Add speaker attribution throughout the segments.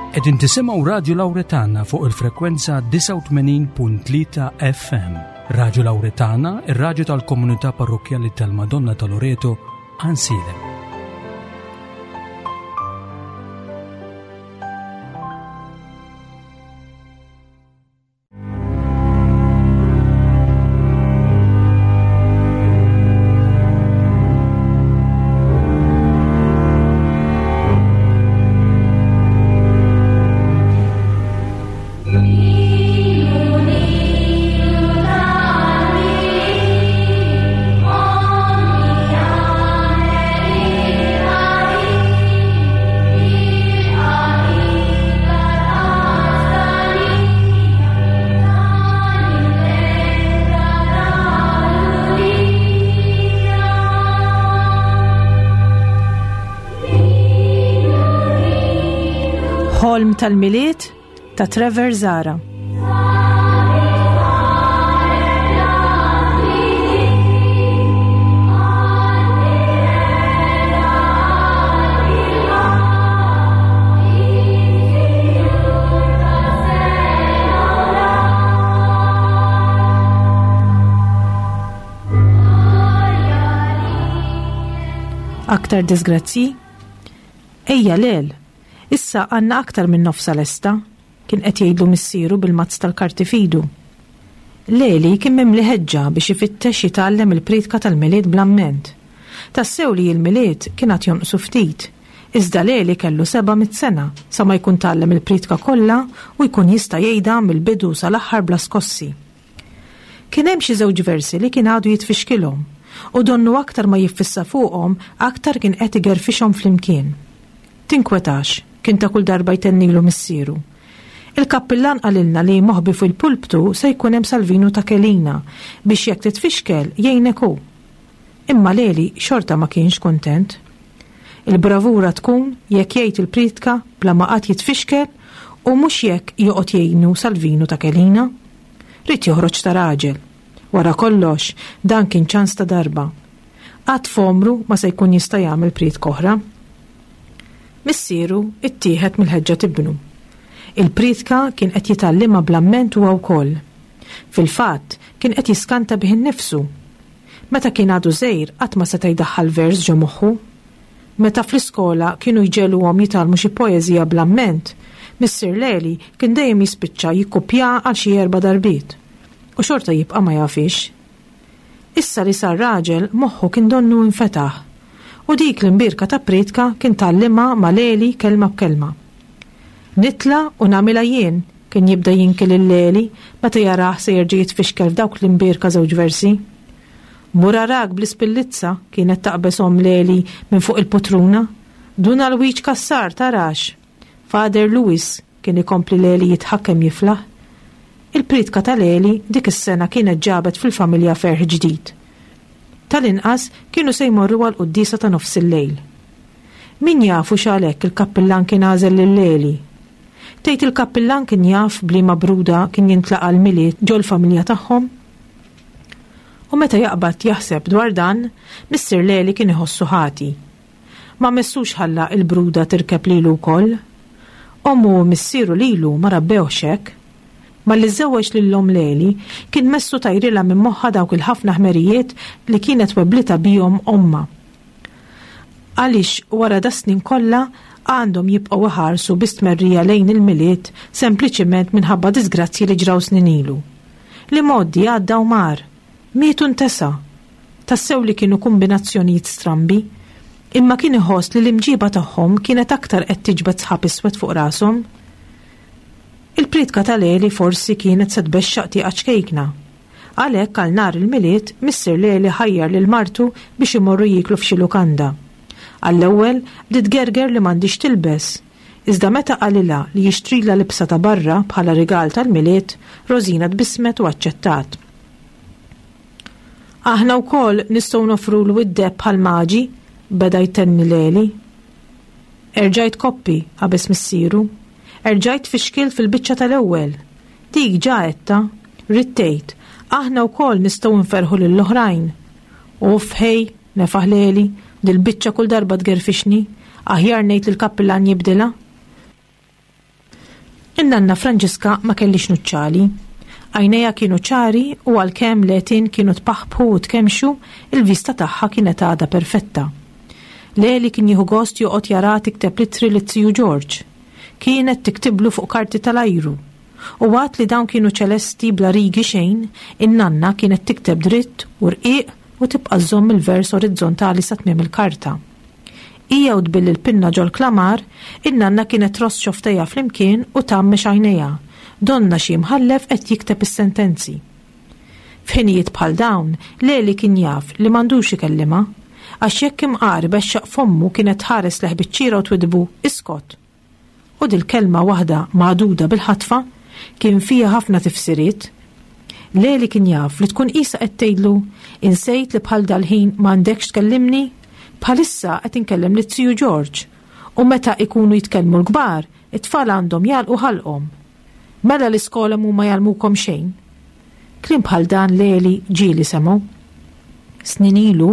Speaker 1: Qegħdin tisimgħu Radju Lawretana fuq il-frekwenza 89.3 FM. Radju Lawretana, ir-radju tal-komunità parrokkjali tal-Madonna ta' Loreto, Għansielem.
Speaker 2: Ħolm tal-Milied ta' Trevor Zara. Aktar disgrazzi? Ejja lel, issa għandna aktar minn nofsa lesta, kien qed jgħidlu missieru bil-mazz tal-karti f'idu. Leli kien mimli ħeġġa biex ifittex jitgħallem il-priedka tal-Milied bl-amment. Tassew li l-Milied kien għad jonqsu ftit, iżda Leli kellu 700 sena sa ma jkun tgħallem il-priedka kollha u jkun jista' jgħidha mill-bidu sal-aħħar bla skossi. Kien hemm xi żewġ versi li kien għadu jitfixkilhom, u donnu aktar ma jiffissa fuqhom aktar kien qed igerfixhom flimkien. Tinkwetax, kien ta' kull darba jtennilu missieru. Il-kappillan qalilna li moħbi fil-pulptu se jkun hemm Salvinu ta' Kelina biex jekk titfixkel jgħinek hu. Imma Leli xorta ma kienx kuntent. Il-bravura tkun jekk jgħid il-priedka bla ma qatt jitfixkel u mhux jekk joqgħod jgħinu Salvinu ta' Kelina. Ried joħroġ ta' raġel. Wara kollox, dan kien ċans ta' darba. Qatt f'għomru ma se jkun jista' jagħmel priedka oħra. Missieru ttieħed mill-ħeġġa t'ibnu. Il-priedka kien qed jitgħallimha bl-amment huwa wkoll. Fil-fatt, kien qed jiskanta bih innifsu. Meta kien għadu żgħir qatt ma seta' jdaħħal vers ġo moħħu. Meta fl-iskola kienu jġegħluhom jitgħallmu xi poeżija bl-amment, missier Leli kien dejjem jispiċċa jikkupjaha għal xi erba' darbiet. U xorta jibqa' ma jafhiex. Issa li sar raġel, moħħu kien donnu infetaħ. U dik l-imbierka ta' prietka kien tgħallimha ma' Leli kelma b'kelma. Nitla' u nagħmilha jien, kien jibda jinki lil Leli meta jarah se jerġa' jitfixkel f'dawk l-imbierka żewġ versi. Mur arak bl-ispillizza, kienet taqbeż omm Leli minn fuq il-putruna. Dun Alwiġ Cassar tarax! Father Louis, kien ikompli Leli jidħak kemm jiflaħ. Il-priedka ta' Leli dik is-sena kienet ġabet fil-familja ferħ ġdid. Tal-inqas kienu se jmorru għall-quddiesa ta' nofsillejl. Min jaf hux għalhekk il-kappillan kien għażel lil Leli. Tgħid il-kappillan kien jaf b'liema bruda kien jintlaqa' l-Milied ġol-familja tagħhom? U meta jaqbad jaħseb dwar dan, missier Leli kien iħossu ħati. Ma messux ħalla il-bruda tirkeb lilu wkoll. Ommu u missieru lilu ma rabbewhx hekk. Malli żżewweġ lil omm Leli, kien messu tajrilha minn moħħha dawk il-ħafna ħmerijiet li kienet webblitha bihom ommha. Għaliex wara das-snin kollha għandhom jibqgħu iħarsu bi stmerrija lejn il-Milied sempliċiment minħabba diżgrazzji li ġraw snin ilu? L-imgħoddi għadda u mar. Miet u ntesa. Tassew li kienu kumbinazzjonijiet strambi. Imma kien iħoss li l-imġiba tagħhom kienet aktar qed tiġbed sħab iswed fuq rashom. Il-priedka ta' Leli forsi kienet se tbexxaq tieqa ċkejkna. Għalhekk għal nhar il-Milied, missier Leli ħajjar lil martu biex imorru jieklu f'xi lukanda. Għall-ewwel, bdiet tgerger li m'għandhiex tilbes. Iżda meta qalilha li jixtrilha libsa ta' barra bħala rigal tal-Milied, Rosina tbissmet u aċċettat. Aħna wkoll nistgħu noffrulu id-deheb bħall-maġi, beda jtenni Leli. Erġajt koppi, qabeż missieru. Erġajt tfixkilt fil-biċċa tal-ewwel. Dik ġa għedtha. Ridt tgħid, aħna wkoll nistgħu nferrħu lill-oħrajn. Uff ħej, nefaħ Leli, dil-biċċa kull darba tgerfixni. Aħjar ngħid lill-kappillan jibdilha. In-nanna Franġiska ma kellhiex nuċċali. Għajnejha kienu ċari u għalkemm l-għetien kienu tpaħpħu u tkemmxu, il-vista tagħha kienet għadha perfetta. Leli kien jieħu gost joqgħod jaraha tikteb l-ittri lit-tiju Ġorġ. Kienet tiktiblu fuq karti tal-ajru. U għad li dawn kienu ċelesti bla rigi xejn, in-nanna kienet tikteb dritt u rqiq u tibqa' żżomm il-vers orizzontali sa tmiem il-karta. Hija u tbill il-pinna ġol-klamar, in-nanna kienet tross xofftejha flimkien u tgħammex għajnejha, donnha xi imħallef qed jikteb is-sentenzi. F'ħinijiet bħal dawn, Leli kien jaf li m'għandux ikellimha, għax jekk imqar ibexxaq fommu kienet tħares lejh biċ-ċiera u twiddbu, Iskot! U dil-kelma waħda magħduda bil-ħatfa kien fiha ħafna tifsiriet. Leli kien jaf li tkun qisha qed tgħidlu, Insejt li bħal dal-ħin m'għandekx tkellimni? Bħalissa qed inkellem lit-tiju Ġorġ. U meta ikunu jitkellmu l-kbar, it-tfal għandhom jagħlqu ħalqhom. Mela l-iskola m'huma jgħallmukom xejn. Kliem bħal dan Leli ġieli semgħu. Snin ilu,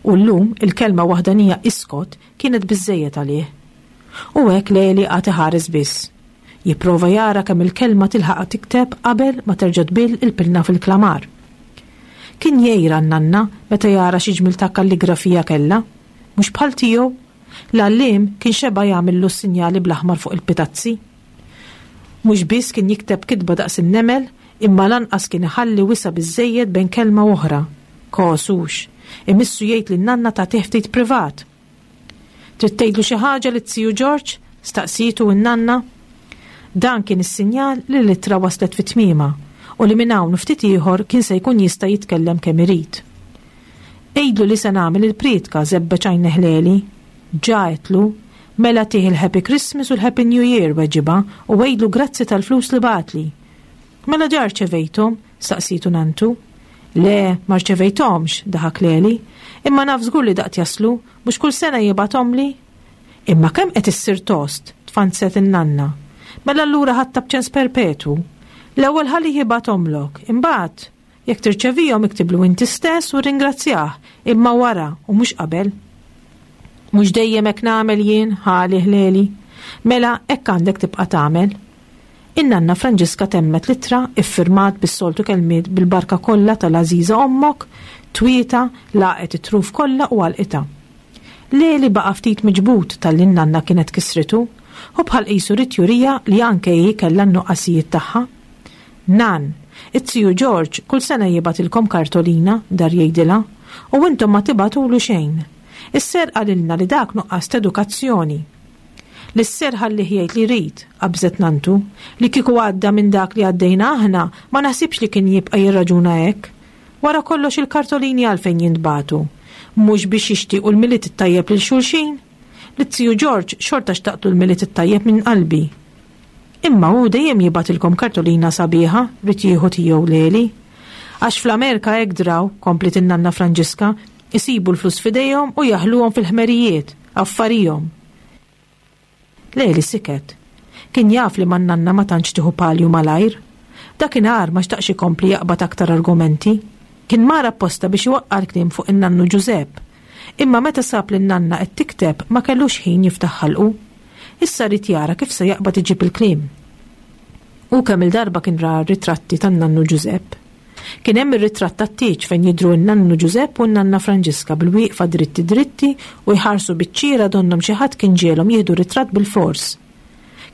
Speaker 2: u llum il-kelma waħdanija iskot kienet biżżejjed għalih. U hekk Leli qagħad iħares biss. Jipprova jara kemm il-kelma tilħaqha tikteb qabel ma terġa' tbill il-pinna fil-klamar. Kien jgħir għan-nanna meta jara xi ġmiel ta' kalligrafija kellha. Mhux bħal tiegħu. L-għalliem kien xeba' jagħmillu s-sinjali bl-aħmar fuq il-pitazzi. Mhux biss kien jikteb kitba daqs in-nemel, imma lanqas kien iħalli wisa' biżżejjed bejn kelma u oħra. Kos hux. Imissu jgħid lin-nanna tagħtih ftit privat. Trid tgħidlu xi ħaġa lit-tiju Ġorġ? staqsietu n-nanna. Dan kien is-sinjal li l-ittra waslet fi tmiemha u li minn hawn u ftit ieħor kien se jkun jista' jitkellem kemm irid. Għidlu li se nagħmel il-prietka, żebbeġ għajnejh Leli. Ġa għedtlu. Mela tih il-Happy Christmas u l-Happy New Year, weġibha, u għidlu grazzi tal-flus li bagħatli. Mela ġa rċevejthom? staqsietu nanntu. Le, ma rċevejthomx, daħak Leli. Imma naf żgur li daqt jaslu, mhux kull sena jibgħathomli? Imma kemm qed issir tost, tfanzet in-nanna. Mela allura ħadtha b'ċens perpetwu. L-ewwel ħallih jibgħathomlok, imbagħad, jekk tirċevihom iktiblu inti stess u rringrazzjah, imma wara u mhux qabel. Mhux dejjem hekk nagħmel jien, ħa għalih Leli. Mela hekk għandek tibqa' tagħmel. In-nanna Franġiska temmet l-ittra, iffirmat bis-soltu kelmiet bil-barka kollha tal-għażiża ommok, twietha, lagħqet it-truf kollha u għalqitha. Leli baqa' ftit miġbud talli n-nanna kienet kissritu, hu bħal qisu ried juriha li anke hi kellha n-nuqqasijiet tagħha. Nann, it-tiju Ġorġ kull sena jibgħatilkom kartolina, dar jgħidilha, u intom ma tibgħatulu xejn. Is-ser qalilna li dak nuqqas t'edukazzjoni. Lis-ser ħallih jgħid li jrid, qabżet nanntu. Li kieku għadda minn dak li għaddejna aħna, ma naħsibx li kien jibqa' jirraġuna hekk. Wara kollox il-kartolini għalfejn jintbagħtu? Mhux biex jixtiequ l-Milied it-tajjeb lil xulxin? Lit-tiju Ġorġ xorta xtaqtlu l-Milied it-tajjeb minn qalbi. Imma hu dejjem jibgħatilkom kartolina sabiħa, ried jieħu tiegħu Leli. Għax fl-Amerika hekk draw, kompliet in-nanna Franġiska, isibu l-flus f'idejhom u jaħluhom fil-ħmerijiet, affarihom. Leli siket. Kien jaf li man-nanna ma tantx tieħu palju malajr. Dakinhar ma xtaqx ikompli jaqbad aktar argumenti. Kien mar apposta biex iwaqqa' l-kliem fuq in-nannu Ġużepp. Imma meta sab lin-nanna qed tikteb ma kellux ħin jiftaħ ħalqu. Issa ried jara kif se jaqbad iġib il-kliem. Hu kemm-il darba kien ra r-ritratti tan-nannu Ġużepp. Kien hemm ir-ritratt tat-tieġ fejn jidhru n-nannu Ġużepp u n-nanna Franġiska bil-wieqfa dritti dritti u jħarsu biċ-ċiera donnhom xi ħadd kien ġiegħlhom jieħdu ritratt bilfors.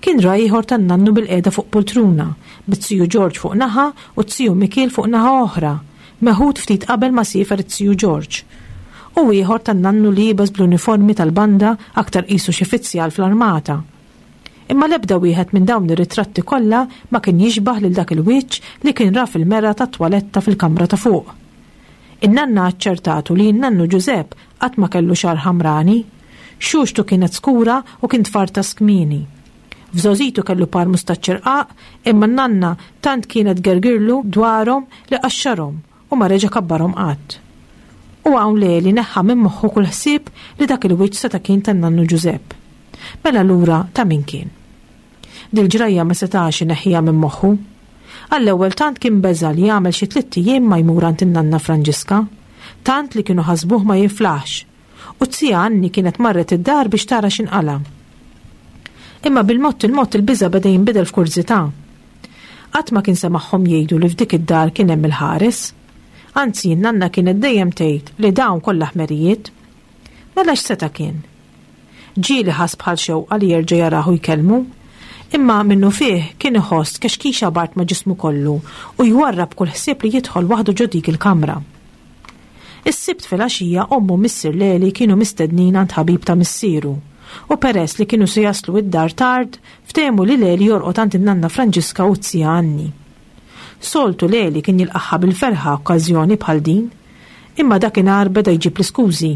Speaker 2: Kien ra ieħor tan-nannu bilqiegħda fuq pultruna, biz-ziju Ġorġ fuq naħa u z-ziju Mikiel fuq naħa oħra, meħud ftit qabel ma siefer iz-ziju Ġorġ. U ieħor tan-nannu liebes bl-uniformi tal-banda aktar qisu xi fizzjal fl-armata. Imma l-ebda wieħed minn dawn ir-ritratti kollha ma kien jixbah lil dak il-wiċċ li kien ra fil-mera tat-twaletta fil-kamra ta' fuq. In-nanna aċċertatu li n-nannu Ġużepp qatt ma kellu xagħar ħamrani. Xuxtu kienet skura u kien tfartas kmieni. F'żgħożitu kellu par mustaċċi rqaq imma n-nanna tant kienet tgergirlu dwarhom li qaxxarhom u ma reġa' kabbarhom qatt. U hawn Leli neħħa minn moħħu kull ħsieb li dak il-wiċċ seta' kien tan-nannu Ġużepp. Mela allura ta' min kien? Dil-ġrajja ma setax ineħħiha minn moħħu. Għall-ewwel tant kien beża' li jagħmel xi tlitt ijiem ma jmur għand in-nanna Franġiska. Tant li kienu ħasbuh ma jiflaħx. U z-zija Anni kienet marret id-dar biex tara x'inqala'. Imma bil-mod il-mod il-biża' beda jinbidel f'kurżità. Qatt ma kien semagħhom jgħidu li f'dik id-dar kien hemm il-ħares. Anzi, n-nanna kienet dejjem tgħid li dawn kollha ħmerijiet. Mela x'seta' kien? Ġieli ħass bħal xewqa li jerġa' jarah u jkellmu. Imma minnufih kien iħoss tkexkixa bard ma' ġismu kollu u jwarrab kull ħsieb li jidħol waħdu ġo dik il-kamra. Is-Sibt filgħaxija ommu u missier Leli kienu mistednin għand ħabib ta' missieru u peress li kienu se jaslu id-dar tard, ftehmu li Leli jorqod għand in-nanna Franġiska u z-zija Anni. Soltu Leli kien jilqagħha bil-ferħa okkażjoni bħal din, imma dakinhar beda jġib l-iskużi.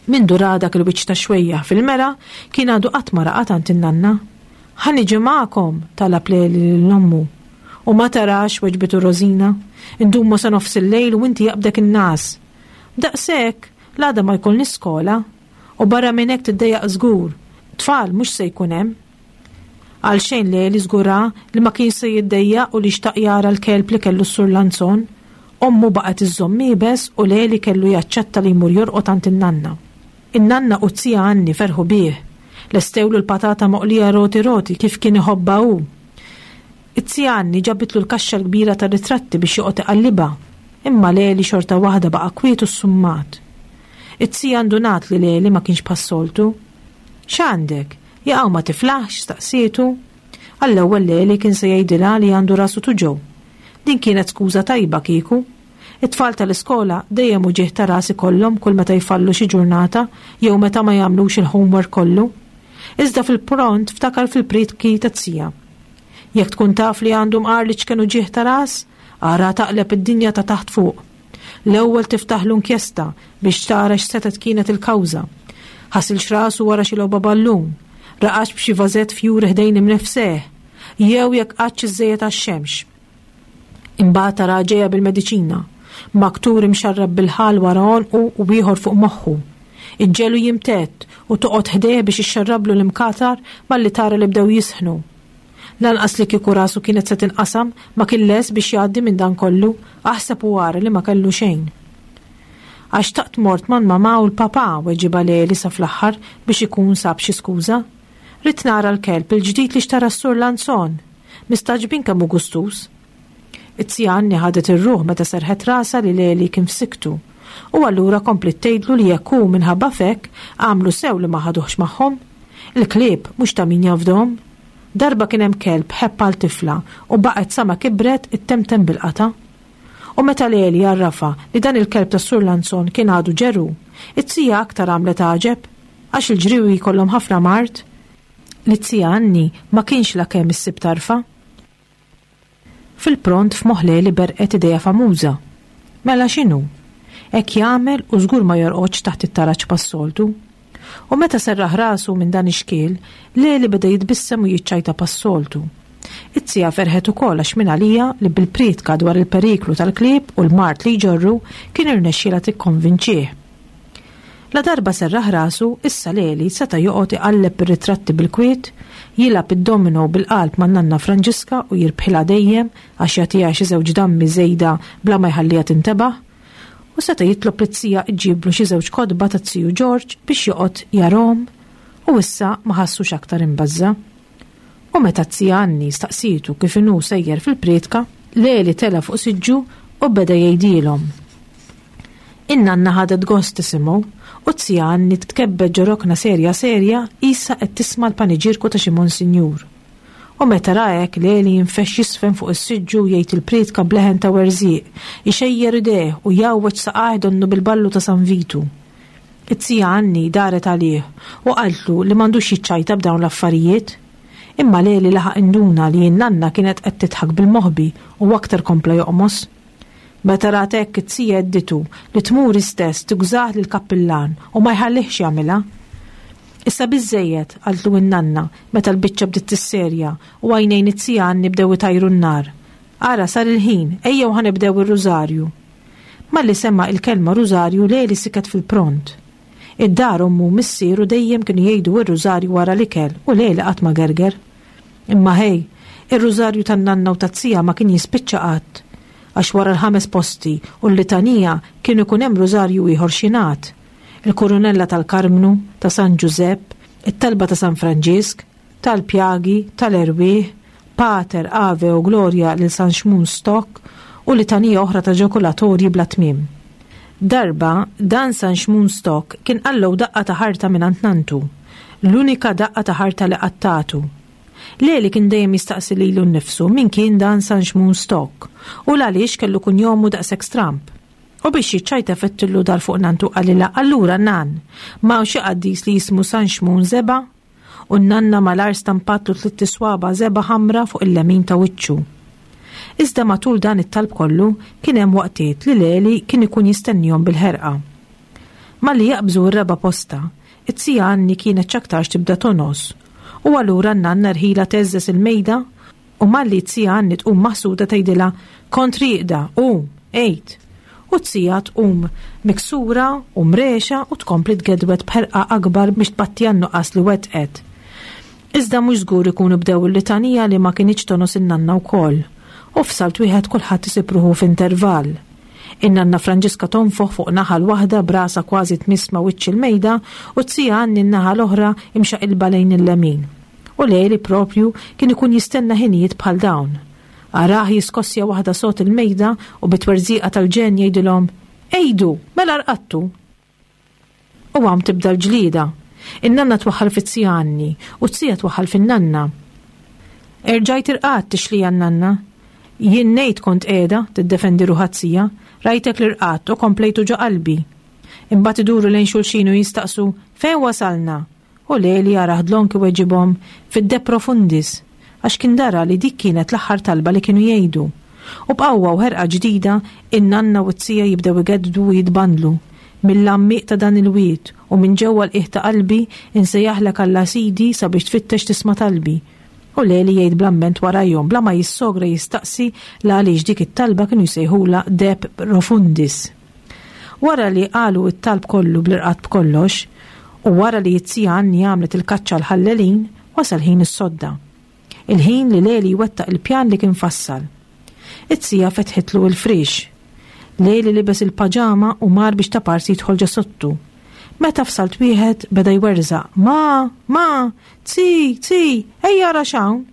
Speaker 2: Mindu ra dak il-wiċċ ta' xwejjaħ fil-mera, kien għadu qatt ma raqad għand in-nanna. Ħa niġi magħkom, talab Leli lil ommu. U ma tarax, weġbitu Rosina, indumu sa nofs il-lejl u inti jaqbdek in-ngħas. B'daqshekk, l-għada ma jkollniex skola. U barra minn hekk tiddejjaq żgur. Tfal mhux se jkun hemm. Għalxejn Leli żgura li ma kienx se jiddejjaq u li xtaq jara l-kelb li kellu s-Sur Lanzon. Ommu baqgħet iżżomm iebes u Leli kellu jaċċetta li jmur jorqod għand in-nanna. In-nanna u z-zija Anni ferħu bih. Lestewlu l-patata moqlija roti roti kif kien iħobbha hu. Iz-zija Anni ġabitlu l-kaxxa l-kbira tar-ritratti biex joqgħod iqallibha. Imma Leli xorta waħda baqa' kwiet u ssummat. Iz-zija ndunat li Leli ma kienx bħas-soltu. X'għandek? Jaqaw ma tiflaħx? staqsietu. Għall-ewwel Leli kien se jgħidilha li għandu rasu tuġgħu. Din kienet skuża tajba kieku. It-tfal tal-iskola dejjem uġigħ ta' ras ikollhom kull meta jfallu xi ġurnata jew meta ma jagħmlux il-homework kollu. Iżda fil-pront ftakar fil-prietki taz-zija. Jekk tkun taf li għandu mqar l-iċken uġigħ ta' ras, ara taqleb id-dinja ta' taħt fuq. L-ewwel tiftaħlu inkjesta biex tara x'setgħet kienet il-kawża. Ħasilx rasu wara xi logħba ballun, raqadx b'xi vażett fjuri ħdejn imnifseh, jew jekk qgħadx iżżejjed għax-xemx. Imbagħad taraha ġejja bil-mediċina, maktur imxarrab bil-ħall wara għonqu u ieħor fuq moħħu. Iġġegħlu jimtedd u toqgħod ħdejh biex ixxarrablu l-imkatar malli tara li bdew jisħnu. Lanqas li kieku rasu kienet se tinqasam ma kien lest biex jgħaddi minn dan kollu, aħseb u ara li ma kellu xejn. Għax xtaqt mort mal-mamà u l-papà, weġibha Leli sa fl-aħħar biex ikun sab xi skuża. Ridt nara l-kelb il-ġdid li xtara s-Sur Lanzon. Mistagħġbin kemm hu gustuż. Iz-zija Anni ħadet ir-ruħ meta serrħet rasha li Leli kien f'sikktu. U allura kompliet tgħidlu li jekk hu minħabba f'hekk, għamlu sew li ma ħaduhx magħhom. Il-klieb mhux ta' min jafdhom. Darba kien hemm kelb ħebb għal tifla u baqgħet sa ma kibret ittemtem bil-qatgħa. U meta Leli għarrafha li dan il-kelb tas-Sur Lanzon kien għadu ġeru, iz-zija aktar għamlet għaġeb. Għax il-ġriewi jkollhom ħafna mard. Lit-zija Anni ma kienx la kemm issib tarfha. Fil-pront f'moħħ Leli berqet idea famuża. Mela x'inhu? Hekk jagħmel u żgur ma jorqodx taħt it-taraġ bħas-soltu. U meta serraħ rasu minn dan ix-xkiel, Leli beda jitbissem u jiċċajta bħas-soltu. It-zija ferħet ukoll għax mingħalija li bil-prietka dwar il-periklu tal-klieb u l-mard li jġorru kien irnexxielha tikkonvinċih. Ladarba serraħ rasu, issa Leli seta' joqgħod iqalleb ir-ritratti bil-kwiet, jilgħab id-domino bil-qalb man-nanna Franġiska u jirbħilha dejjem għax jagħtiha xi żewġ dammi żejda bla ma jħalliha tintebaħ. U seta' jitlob lit-zija ġġiblu xi żewġ kotba taz-ziju Ġorġ biex joqgħod jarahom. U issa ma ħassux aktar imbażża'. U meta z-zija Anni staqsietu kif inhu sejjer fil-prietka, Leli tela' fuq siġġu u beda jgħidilhom. In-nanna ħadet gost tisimgħu u z-zija Anni tkebbet ġo rokna serja serja qisha qed tisma' l-paniġierku ta' xi monsinjur. U meta ra hekk Leli jinfexx jiżfen fuq is-siġġu u jgħid il-prietka b'leħen ta' werżieq, ixejjer idejh u jgħawweġ saqajh donnu bil-ballu ta' San Vitu. Iz-zija Anni daret għalih u qaltlu li m'għandux jiċċajta b'dawn l-affarijiet. Imma Leli laħaq induna li n-nanna kienet qed tidħak bil-moħbi u aktar kompla joqmos. Meta rat hekk iz-zija għedditu li tmur hi stess tugżah lill-kappillan u ma jħallihx jagħmilha. Issa biżżejjed, qaltlu n-nanna meta l-biċċa bdiet tisserja u għajnejn iz-zija Anni bdew itajru n-nar. Ara sar il-ħin, ejjew ħa nibdew ir-rużarju. Malli sema' il-kelma rużarju Leli siket fil-pront. Id-dar ommu u missieru dejjem kienu jgħidu r-rużarju wara l-ikel u Leli qatt ma gerger. Imma ħej, ir-rużarju tan-nanna u taz-zija ma kien jispiċċa qatt. Għax wara l-ħames posti u l-litanija kien ikun hemm rużarju ieħor x'jingħad. Il-kurunella tal-Karmnu, ta' San Ġużepp, it-talba ta' San Franġisk. tal-pjagi, tal-erwieħ, Pater, Ave u Glorja lil San Xmun Stock u litanija oħra ta' ġakulatorji bla tmiem. Darba, dan San Xmun Stock kien qalgħu daqqa ta' ħarta mingħand nanntu, l-unika daqqa ta' ħarta li qatt tatu. Leli kien dejjem jistaqsi lilu nnifsu min kien dan San Xmun Stock u l-għaliex kellu kunjomu daqshekk stramb. U biex jiċċajta fettillu dar fuq nantu qalilha allura nan, m'hawn xi qaddis li jismu San Xmun Żebgħa? U n-nanna malajr stampatlu tlitt iswaba' żebgħa ħamra fuq il-lemin ta' wiċċu. Iżda matul dan it-talb kollu kien hemm waqtiet li Leli kien ikun jistennihom bil-ħerqa. Malli jaqbżu r-raba' posta, it-zija Anni kienet x'aktarx tibda tongħos u allura n-nanna rħilha tgħeżżeż il-mejda u malli t-zija Anni tqum maħsuda tgħidilha kont rieqda, qum, għid. U t-zija tqum miksura u mrexa u tkompli tgedwed b'ħerqa akbar biex tpatti għan-nuqqas li wettqet. Iżda mhux żgur ikunu bdew il-litanija li ma kinitx tongħos in-nanna wkoll. U f'salt wieħed kulħadd isib ruħu f'intervall. In-nanna Franġiska tonfoħ fuq naħa l-waħda b'rasha kważi tmiss ma' wiċċ il-mejda u t-zija Anni n-naħa l-oħra imxaqilba lejn il-lemin. U Leli proprju kien ikun jistenna ħinijiet bħal dawn. Arah jiskossja waħda sod il-mejda u bi twerżiqa tal-ġenn jgħidilhom, Għidu, mela rqadtu! U hawn tibda l-ġlieda. In-nanna twaħħal fit-zija Anni u t-zija twaħħal fin-nanna. Erġajt irqadt tixlija n-nanna. Jien ngħid kont qiegħda, tiddefendi ruħha t-zija, rajtek li rqadt u komplejtu ġo qalbi. Imbagħad iduru lejn xulxin u jistaqsu, Fejn wasalna? U Leli jarah dlonk iweġibhom, Fid-De Profundis, għax kien dara li dik kienet l-aħħar talba li kienu jgħidu. U b'qawwa u ħerqa ġdida, in-nanna u t-zija jibdew igedddu u jitbandlu, Mill-għammieq ta' dan il-wied, u minn ġewwa l-qiegħ ta' qalbi, insejjaħlek Alla Sidi sabiex tfittex tisma' talbi. U Leli jgħid bl-amment warajhom, bla ma jissogra jistaqsi l-għaliex dik it-talba kienu jsejħulha De Profundis. Wara li qalu t-talb kollu bl-irqad b'kollox, u wara li t-zija Anni għamlet il-kaċċa għall-ħallelin, wasal ħin is-sodda. Il-ħin li Leli jwettaq il-pjan li kien fassal. It-zija fetħitlu il-friex. Leli libes il-paġama u mar biex taparsi jidħol ġo sodtu. Meta f'salt wieħed beda jwerżaq, Ma! Ma! Zi! Zi! Ejja ara x'hawn!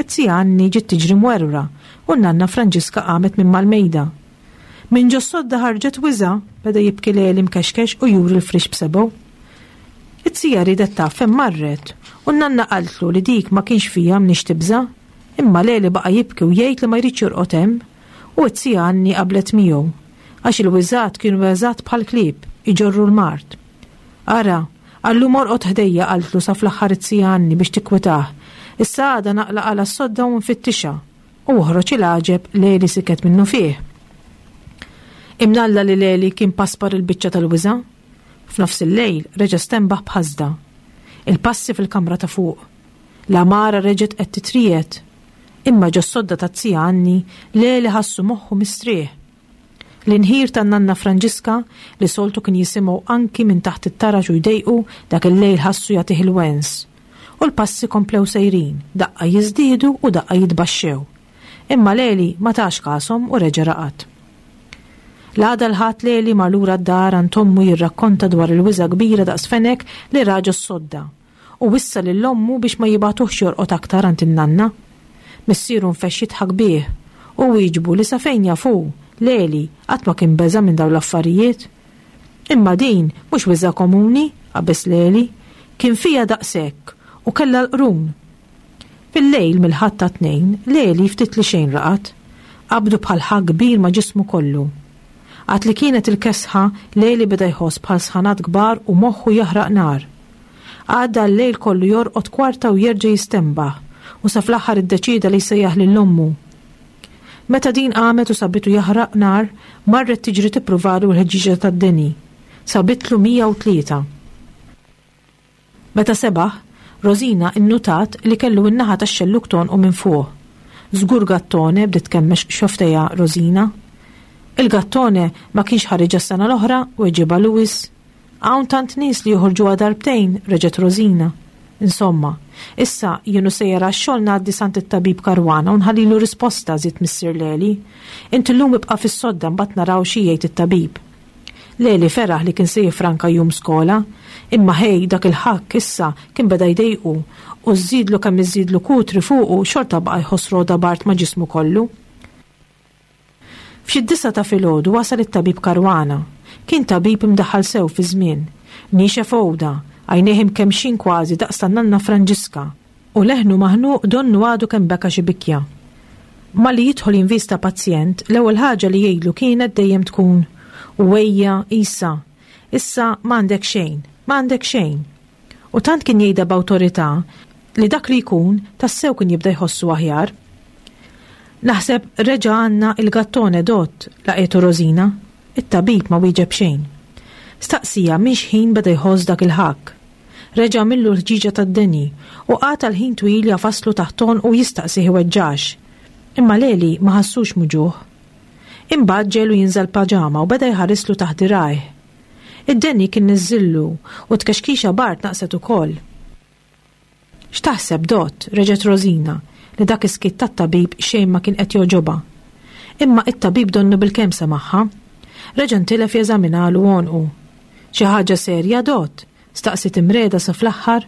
Speaker 2: It-zija Anni ġiet tiġri mwerwra u n-nanna Franġiska qamet minn mal-mejda. Minn ġos-sodda ħarġet wiżgħa, beda jibki Leli mkexkex u juri l-friex b'sebgħu. It-zija riedet taf fejn marret u n-nanna qaltlu li dik ma kienx fiha mniex tibża', imma Leli baqa' jibki u jgħid li ma jridx jorqod hemm u t-zija Anni qablet miegħu, għax il-wiżgħat kienu eżatt bħall-klieb, iġorru l-mard. Ara, Għal-lum orqod ħdejja, qaltlu sa fl-aħħar it-zija Anni biex tikkwitah. Issa għada naqla' għala s-sodda u nfittixha. U oħroġ il-għaġeb, Leli siket minnufih. Imnalla li Leli kien paspar il-biċċa tal-wiża'. F'nofs il-lejl reġa' stenbaħ b'ħasda. Il-passi fil-kamra ta' fuq. L-għamara reġgħet qed titriegħed. Imma ġos-sodda taz-zija Anni, Leli ħassu moħħu mistrieħ. L-inħir tan-nanna Franġiska, li soltu kien jisimgħu anki minn taħt it-taraġ u jdejqu, dak il-lejl ħassu jagħtih il-wens. U l-passi komplew sejrin, daqqa jiżdiedu u daqqa jitbaxxew. Imma Leli ma tax kashom u reġa' raqad. L-għada l-Ħadd Leli mar lura d-dar għand ommu jirrakkonta dwar il-wiżgħa kbira daqs fenek li ra ġos-sodda. U wissa lil ommu biex ma jibagħtuhx jorqod aktar għand in-nanna. Missieru nfexx jidħak bih u wieġbu li sa fejn jaf hu, Leli, qatt ma kien beża' minn dawn l-affarijiet. Imma din mhux wiżgħa komuni, qabeż Leli. Kien fiha daqshekk u kellha l-qrun. Fil-lejl mill-Ħadd għat-Tnejn, Leli ftit li xejn raqad. Qabdu bħal ħakk kbir ma' ġismu kollu. Għad li kienet il-kesħa, Leli beda jħoss bħal sħanat kbar u moħħu jaħraq nar. Għadda l-lejl kollu jorqod kwarta u jerġa' jistenbaħ, u sa fl-aħħar iddeċieda li jsejjaħ lil ommu. Meta din qamet u sabitu jaħraq nar, marret tiġri tippruvalu l-ħeġġieġa tad-deni. Sabitlu 103. Meta sebaħ, Rosina innutat li kellu n-naħa tax-xellug tgħonqu minn fuq. Żgur gattone, bdiet tkemmex xofftejha Rosina. Il-gattone ma kienx ħariġha s-sena l-oħra, weġibha Louis. Hawn tant nies li joħorġuha darbtejn, reġgħet Rosina. Insomma, issa jien u sejjer għax-xogħol ngħaddi s'għand it-tabib Caruana u nħallilu risposta, żied Missier Leli. Int illum ibqa' fis-sodda mbagħad naraw xi jgħid it-tabib. Leli feraħ li kien se jiffranka jum skola. Imma ħej dak il-ħakk issa kien beda jdejqu u żżidlu kemm iżżidlu kutri fuqu xorta baqa' jħoss rogħda bard ma' ġismu kollu. F'xi d-disgħa ta' filgħodu wasal it-tabib Caruana. Kien tabib imdaħħal sew fiż-żmien. Niexef għoda, għajnejh imkemmxin kważi daqs tan-nanna Franġiska, u leħnu maħnuq donnu għadu kemm beka xi bikja. Malli jidħol jinvista pazjent, l-ewwel ħaġa li jgħidlu kienet dejjem tkun, U ejja, Isa, issa m'għandek xejn, m'għandek xejn. U tant kien jgħidha b'awtorità li dak li jkun tassew kien jibda jħossu aħjar. Naħseb reġa' għandna il-gattone dott, laqgħetu Rosina. It-tabib ma wieġeb xejn. Staqsieha minn x'ħin beda jħoss dak il-ħakk. Reġa' għamillu l-ħġieġa tad-deni u qagħad għal ħin twil jagħfaslu taħt għonqu jistaqsih iweġġax. Imma Leli ma ħassux muġugħ. Imbagħad ġegħlu jinża' l-paġama u beda jħarislu taħt dirgħajh. Id-deni kien niżżillu u t-tkexkixa bard naqset ukoll. X'taħseb, Dott? reġgħet Rosina, li dak is-skiet tat-tabib xejn ma kien qed jogħġobha. Imma it-tabib donnu bilkemm semagħha. Reġa' ntilef jeżaminalu għonqu. Xi ħaġa serja, Dott? staqsiet imriegħda sa fl-aħħar.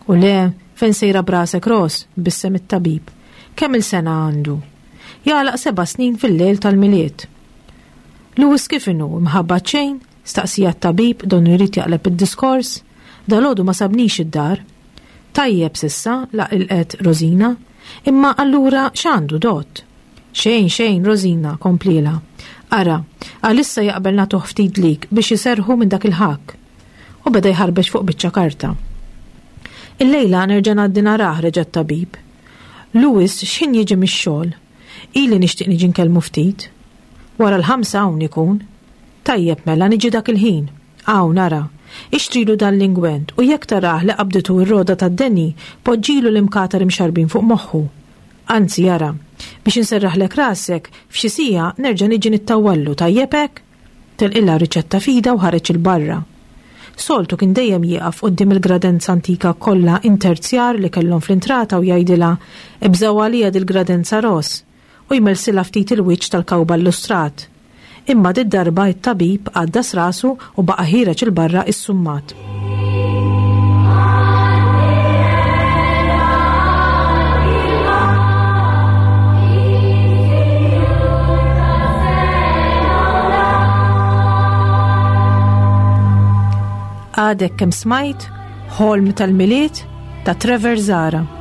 Speaker 2: U le, fejn sejra b'rasek, Ros? tbissem it-tabib. Kemm-il sena għandu? Jagħlaq seba' snin fil-lejl tal-Milied. Louis kif inhu, imħabbat xejn? Staqsieha t-tabib, donnu jrid jaqleb id-diskors. Dalgħodu ma sabnix id-dar. Tajjeb s'issa, laqilqet Rosina. Imma allura x'għandu, Dott? Xejn, xejn, Rosina, komplielha. Ara, għalissa jaqbel nagħtuh ftit dlik biex iserrħu minn dak il-ħakk. U beda jħarbex fuq biċċa karta. Illejla nerġa' ngħaddi narah, reġa' t-tabib. Louis x'ħin jiġi mix-xogħol? Ili nixtieq niġi nkellmu ftit. Wara l-ħamsa hawn ikun. Tajjeb mela niġi dak il-ħin. Hawn ara. Ixtrilu dan l-ingwent u jekk tarah li qabditu r-rogħda tad-deni, poġġilu l-imkatar imxarrbin fuq moħħu. Anzi ara, biex inserraħlek rasek, f'xi siegħa nerġa' niġi nittawwallu, tajjeb hekk? Telqilha r-riċetta f'idha u ħareġ 'il barra. Soltu kien dejjem jieqaf quddiem il-gradenza antika kollha interzjar li kellhom fl-intrata u jgħidilha, Ibżgħu għalija dil-gradenza Ros! u jmelsilha ftit il-wiċċ tal-kawba illustrat. Imma did-darba it-tabib għaddas rasu u baqa' ħiereġ 'il barra issummat. Għadek kemm smajt Ħolm tal-Milied ta' Trevor Zahra.